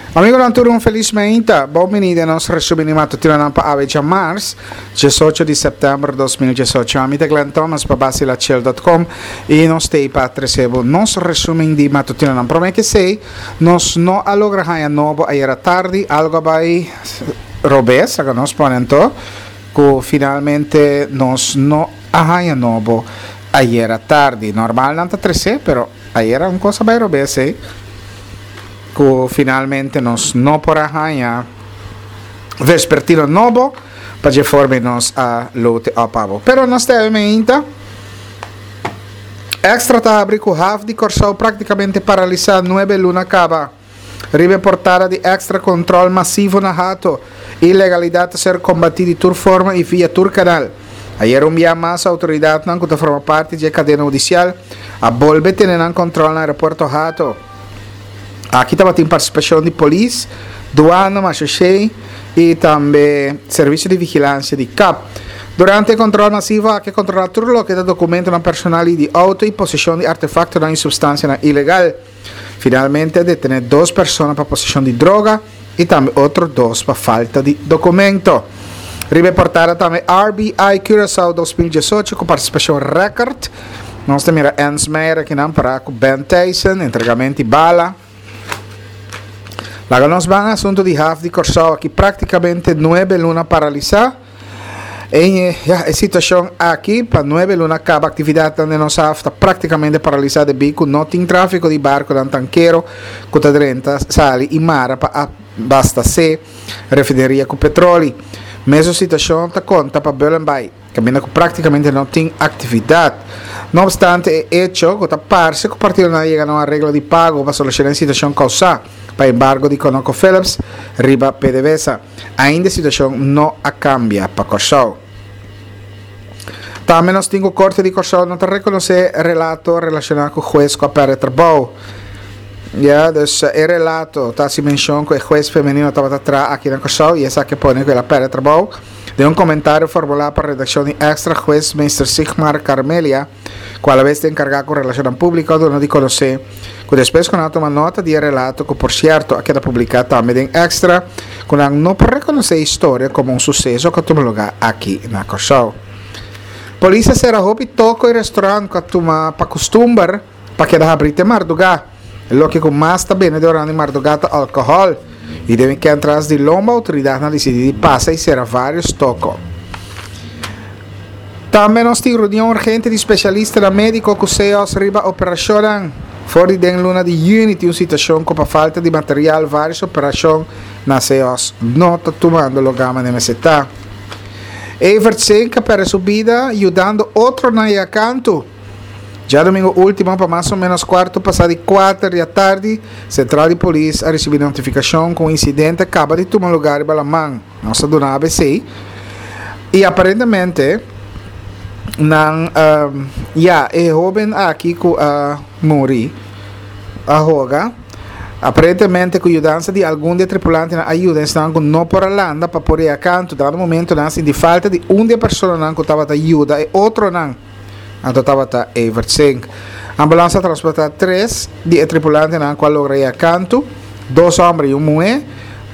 Amigonan tur un felis meinta. Bon bini den nos resumen di matutinonan pa awe djamars, 18 di sèptèmber 2018. Ami ta Glenn Thomas pa basilachel.com i nos t'ei pa trese bo nos resumen di matutinonan. Promé ke esei, nos no a logra haña nobo ayera tardi, algo a bai robes, laga nos pone anto, ku finalmente nos no a haña nobo ayera tardi. Normal nan ta trese, pero ayera un kos a bai robes ei. Ku finalmente nos no por a haña vespertino nobo pa dje forma nos a lote op abo. Pero nos ta e meinta. Extra ta habri ku haf di Kòrsou praktikamente paralisá nuebe luna kaba. Riba e portada di Extra kontrol masivo na Hato. Ilegalidat ta ser kombatí di tur forma i via tur kanal. Ayer un bia mas outoridatnan ku ta forma parti dje kadena hudisial a bolbe tene nan kontrol na aeropuerto Hato. Aki tabatin partisipashon di polis, duana, mashashei i tambe servisio di vigilansia di kap. Durante e kontrol masivo aki a kontrolá tur loke ta dokumentonan personal i di outo i poseshon di artefaktonan i supstansianan ilegal. Finalmente a detené dos persona pa poseshon di droga i tambe otro dos pa falta di dokumento. Riba e portada tambe RBI Curaçao 2018 ku partisipashon rèkòrt. Nos ta mira Ernst Meijer akinan pará ku Ben Thijssen, entregamento di bala. Laga nos ban asuntu di haf di Kòrsou aki práktikamente nuebe luna paralisá. E, ya, e situashon aki pa nuebe luna kaba aktividatnan den nos haf ta práktikamente paralisá debí ku no tin tráfiko di barkunan tankero ku ta drenta, sali i mara pa abastasé refineria ku petroli. Mesun situashon ta konta pa Bullenbaai. Kaminda ku práktikamente no tin aktividat. No opstante e echo ku ta parse ku partidonan a yega na un areglo di pago pa solushoná e situashon kousá pa embargo di ConocoPhillips riba PDVSA, ainda e situashon no a kambia pa Kòrsou. Tambe nos tin ku Korte di Kòrsou no ta rekonosé relato relashoná ku hues ku a pèrdè trabou. Ya, dus e relato ta hasi menshon ku e hues femenino tabata traha aki na Kòrsou i esaki a pone ku el a pèrdè trabou. Den un komentario formulá pa redakshon di Extra, hues Meester Sigmar Carmelia, ku alabes ta enkargá ku relashonnan públiko, a duna di konosé ku despues ku nan a tuma nota di e relato, ku por sierto a keda publiká tambe den Extra, ku nan no por rekonosé e historia komo un suseso ku a tuma lugá aki na Kòrsou. Polis a sera hopi toko i restorant ku a tuma pa kustumber pa keda habrí te mardugá. E loke ku mas ta bende durante mardugá ta alkohòl i den wikènt tras di lomba outoridatnan a disidí di pasa i sera vários toko. Tambe nos tin reunion urgente di spesialistanan médiko ku CEOS riba operashonnan. For di den luna di yüni tin un situashon ku pa falta di material vários operashon na CEOS no ta tumando lugá manera mester ta. Evert Sink a pèrdè su bida yudando otronan yega kantu. Djadomingo ultimo pa mas o menos kuarto pasá di kuater di atardi, sentral di polis a risibí notifikashon ku un insidente a kaba di tuma lugá riba laman. Nos a duna abc i aparentemente nan ya e hóben aki ku a muri a hoga. Aparentemente ku yudansa di algun di e tripulantenan a yuda esnan ku no por a landa pa por yega kantu. Dado momento nan a sinti falta di un di e personanan ku tabata yuda e otronan. Anto tabata Evert Sink. Ambulans a transportá tres di e tripulantenan ku a logra yega kantu, dos hòmber i un muhé,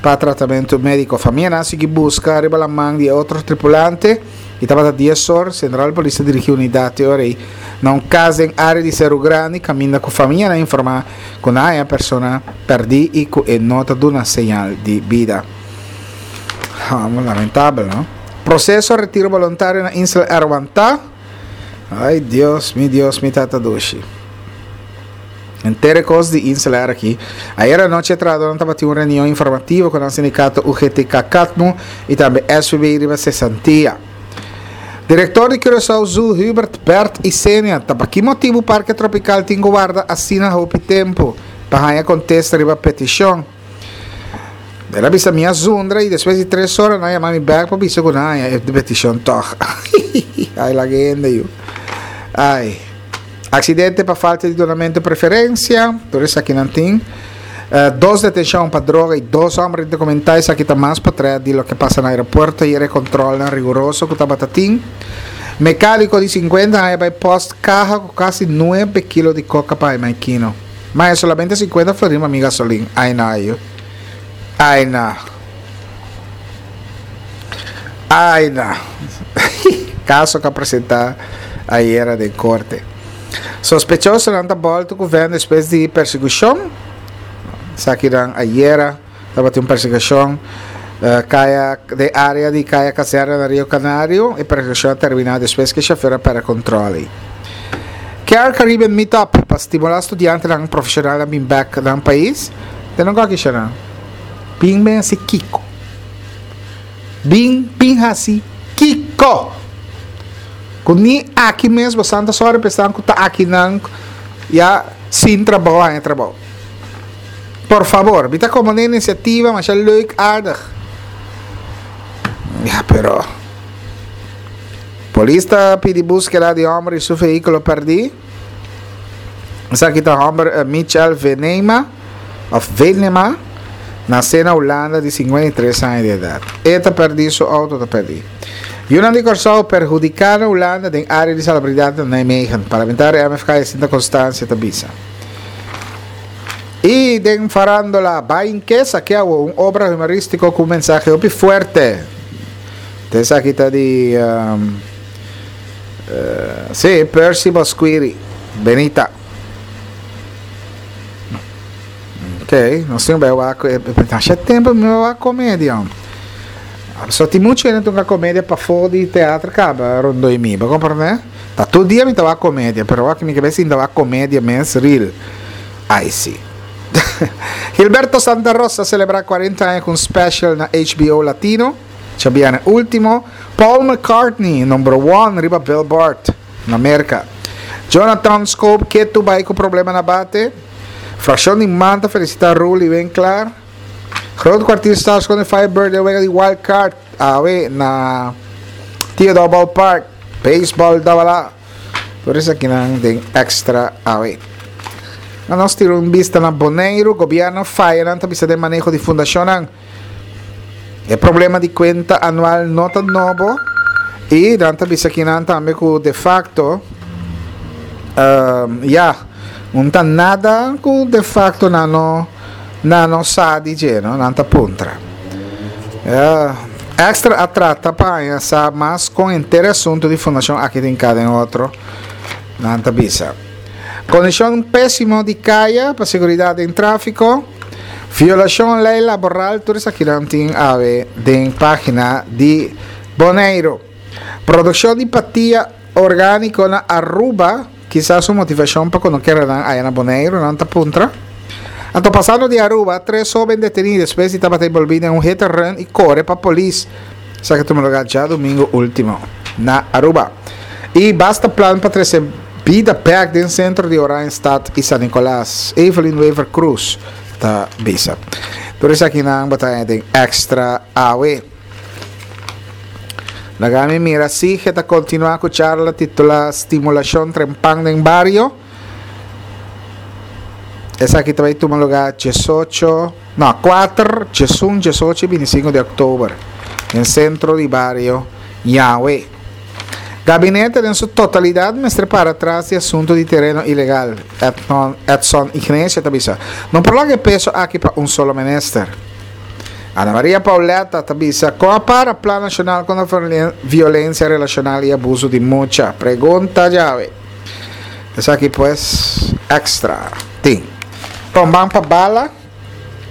pa tratamentu médiko. Famianan a sigui buska riba laman di e otro tripulante i tabata dies or, Sentral Polis a dirigí unidat e ora ei na un kas den área di Seru Grandi kaminda ku famianan a informá ku nan a haña persona pèrdí i ku e no ta duna señal di bida. Lamentabel, no? Proceso retiro boluntario na Insel Air wantá. Ay Dios, mi Dios, mi tata dushi. Henter e kos di Insel Air aki. Ayer anochi e trahadornan tabatin un reunion informativo ku nan sindikato UGTK-Katmu i tambe SVB riba sesantia. Direktor di Curaçao Zoo Hubert Bert Isenia ta pa ki motibu Parke Tropikal tin ku warda asina hopi tempu pa haña kontesta riba petishon. El a bisa mi a zundra y despues di tres ora nan a yama mi bek pa bisa cu nan a haña e peticion tog. Ay laga hende yu. Ay. Accidente pa falta di dunamento preferencia. Tur esaki nan tin. Uh, dos detencion pa droga y dos homber indocumentá. Esaki ta mas potret di loke pasa na aeropuerto y e controlnan riguroso cu tabata tin. Mecánico di 50 aña bay post caha cu casi 9 kilo di coca pa Maikino. Ma e solamente 50 florin pa mi gasolin. Ay no ayu. Ai na. Ai na. Kaso ku a presentá ayera den korte. Sospechosonan ta bòltu ku vèn despues di persekushon. Esakinan ayera tabatin un persekushon kaya den área di Kaya Kazerna na Rio Canario. E persekushon a terminá despues ku e shofèr a pèrdè kontròl ei. Care Caribbean Meetup pa stimulá studiantenan profeshonalnan bin bèk nan pais. Den nan kòke shana? Bin ben hasi kiko? Bin bin hasi kiko? Ku ni aki mes bo santa sòri pa esnan ku ta akinan ya sin trabou haña trabou. Por fabor, mi ta komo na inisiativa masha leuk aardig. Ya pero polis ta pidi búskeda di hòmber i su vehíkulo pèrdí. Esaki ta hòmber Michel Venema òf Venema, nasé na Hulanda di 53 aña di edat. E ta pèrdí, su outo ta pèrdí. Yunan di Kòrsou perhudiká na Hulanda den área di salubridat na Nijmegen, parlamentario MFK Jacinta Constancia ta bisa. I den farandola, Bain ke sakia awo un obra humorístiko ku un mensahe hopi fuerte. Esaki ta di Sí, Percy Bosquiri. Benita. Ok, nos tin bai wak masha tempo mi bai wak comedia. So tin mucho hende toca comedia pafó di teatro caba rondó di mi. Bo comprende? Ta tur dia mi ta wak comedia, pero wak mi ke bai sinta wak comedia mes real. Ai si. Gilberto Santa Rosa celebra 40 aña cu un special na HBO Latino. Djabièrnè último, Paul McCartney number one riba Billboard na Merka. Jonathan Schoop ketu bai ku problema na bate. Frakshon di man ta felisitá Roelie Winklaar. Groot Kwartier Stars kontra Firebird den wega di wild card awe na Theodore Ballpark. Baseball tabala. Tur esakinan den extra awe. Na nos tira un bista na Boneiru, gobièrnu faya nan ta bisa den maneho di fundashonnan. E problema di cuenta anual no ta nobo y nan ta bisa kinan tambe cu de facto ya un ta nada cu de facto nan no nan no sa di dje no nan ta puntra. Extra a trata pa haña sa mas con henter e asunto di fundacion aki tin cada den otro nan ta bisa. Condicion pesimo di caya pa seguridad den trafico. Violashon lei laboral tur esakinan tin awe den pagina di Boneiru. Produkshon di patia orgániko na Aruba kisas un motivashon pa konokeranan aya na Boneiru, nan ta puntra. Anto pasando di Aruba, tres hoben detení despues di tabata enbolbí den un hit and run i kore pa polis. Esaki a tuma lugar djadumingu ultimo na Aruba. Y basta plan pa trece bida bek den centro di Oranjestad y San Nicolas, Evelyn Wever Croes ta bisa. Tur esakinan bo ta haña den Extra awe. Laga mi mira Sige ta continua cu charla titula Stimulacion Trempan den Bario. Esaki ta bay tuma lugar diesocho, no, kuater, diesun, diesocho y bintisinco di october den Centro di Bario Ñawe. Gabinete den su totalidad mester para tras di asunto di tereno ilegal, Edson Ignacio ta bisa. No por laga e peso aki pa un solo minister. Ana Maria Pauletta ta bisa, Con a para Plan Nacional contra Violencia Relacional y Abuso di Mucha? Pregunta djawe. Esaki pues extra tin. Bon, ban pa bala.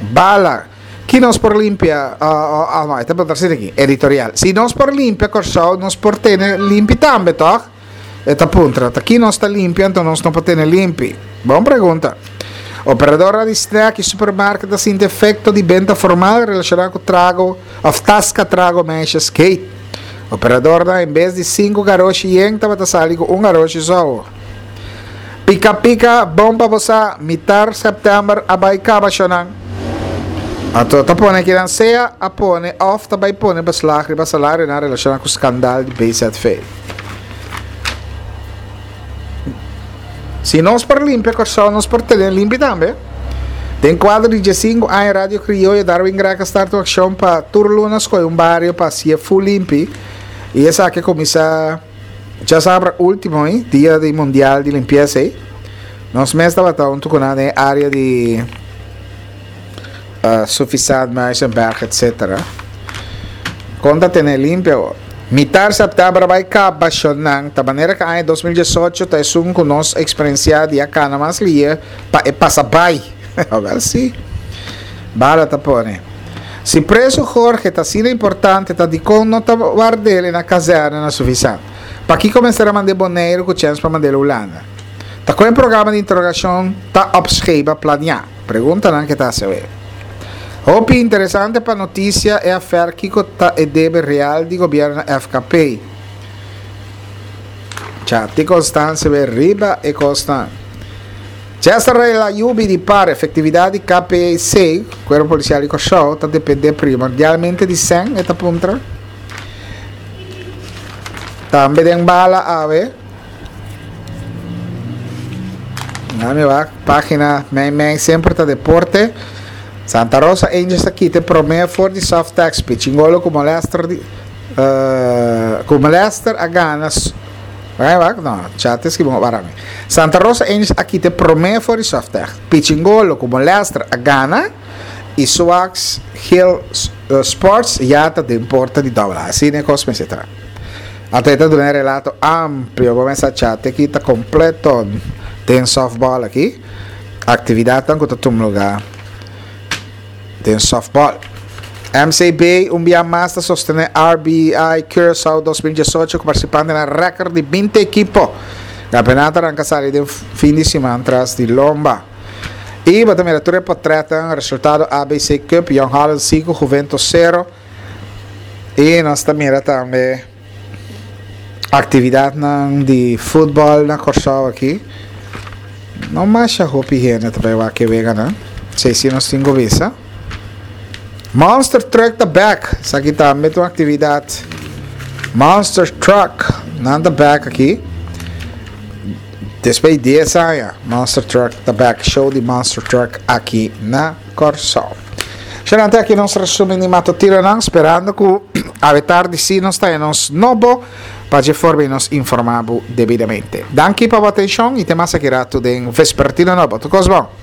Bala. Ki nos por limpia? Ah, no, e ta pregunta asina aki, editorial. Si nos por limpia Kòrsou, nos por tene limpi tambe, tòg? E ta puntra. Ta ki nos ta limpia, anto nos no por tene limpi? Bon pregunta. Operadornan di snack i supermarket ta sinti efekto di benta formal relashoná ku trago òf taska trago meisjes gate. Operadornan en bes di sinku garoshi yen tabata sali ku un garoshi sou. Pika pika bon pa bo sa, mitar sèptèmber a bai kaba shonan. Anto ta pone kinan sea a pone òf ta bai pone beslag riba salarionan relashoná ku skandal di BZV. Si nos por limpia Kòrsou nos por tene limpi tambe. Den kuadro di diesinku aña Radio Krioyo Darwin Greg a starta un akshon pa tur luna skohe un bario pa hasié full limpi i esaki a kuminsá Djasabra ultimo ei, dia di mundial di limpiesa ei, nos mes tabata huntu ku nan den e area di. Suffisant, Muizenberg etc. Kon ta tene limpio awor? Mitar sèptèmber a bai kaba shonnan ta manera ku aña 2018 ta esun ku nos eksperensiá di a kana mas lie pa e pasa bai. Awèl si. Bala ta pone. Si preso Jorge ta asina importante ta dikon no ta ward'el na kazèrne na Suffisant? Pakiko mester a mand'é Boneiru ku chèns pa mand'el Hulanda? Ta kon e programa di interogashon ta opscheba planiá? Preguntanan ke ta hasi awe. Hopi interesante pa notisia e afer kiko ta e debe real di gobierno na FKP. Chati Constance be riba e kosnan. Chester Rey la yubi di par efectividad di KPC, Cuerpo Policial di Kòrsou, ta depende primordialmente di sèn, e ta puntra. Tambe den bala awe. Dame wak, pagina mei mei semper ta deporte. Santa Rosa Angels a kita e prome for di Softex. Pichingolo ku molester di uh, ku molester a gana Wak, wak, no, chat es ki bon para mi. Santa Rosa Angels a kita e prome for di Softex. Pichingolo ku molester a gana i Swax Hill Sports ya ta den porta di double A. Asina e kos mester ta. Anto e ta duna e relato amplio. Bo mester cha te aki ta completo den softball aki. Actividadnan cu ta tuma lugar den softball. MCB un bia mas ta sostene RBI Curaçao 2018 cu participantenan record di binti ekipo. Campeonato a ranca sali den fin di siman tras di lomba. Y bo ta mira tur e potretnan, resultado ABC Cup, Jong Holland 5, Juventus 0. I nos ta mira tambe aktividatnan di futbòl na Kòrsou aki. No masha hopi hende ta bai wak e weganan. Esei si nos tin ku bisa. Monster Truck ta bèk. Esaki tambe ta un aktividat. Monster Truck, nan ta bèk aki. Despues di dies aña, Monster Truck ta bèk. Show di Monster Truck aki na Kòrsou. Xenan te aki nos resumen di matutinonan, sperando ku awe tardi si nos ta nos nobo pa dje forma i nos informa bo debidamente. Danki pa bo atenshon i te mas aki ratu den Vespertino Nobo. Tur kos bon.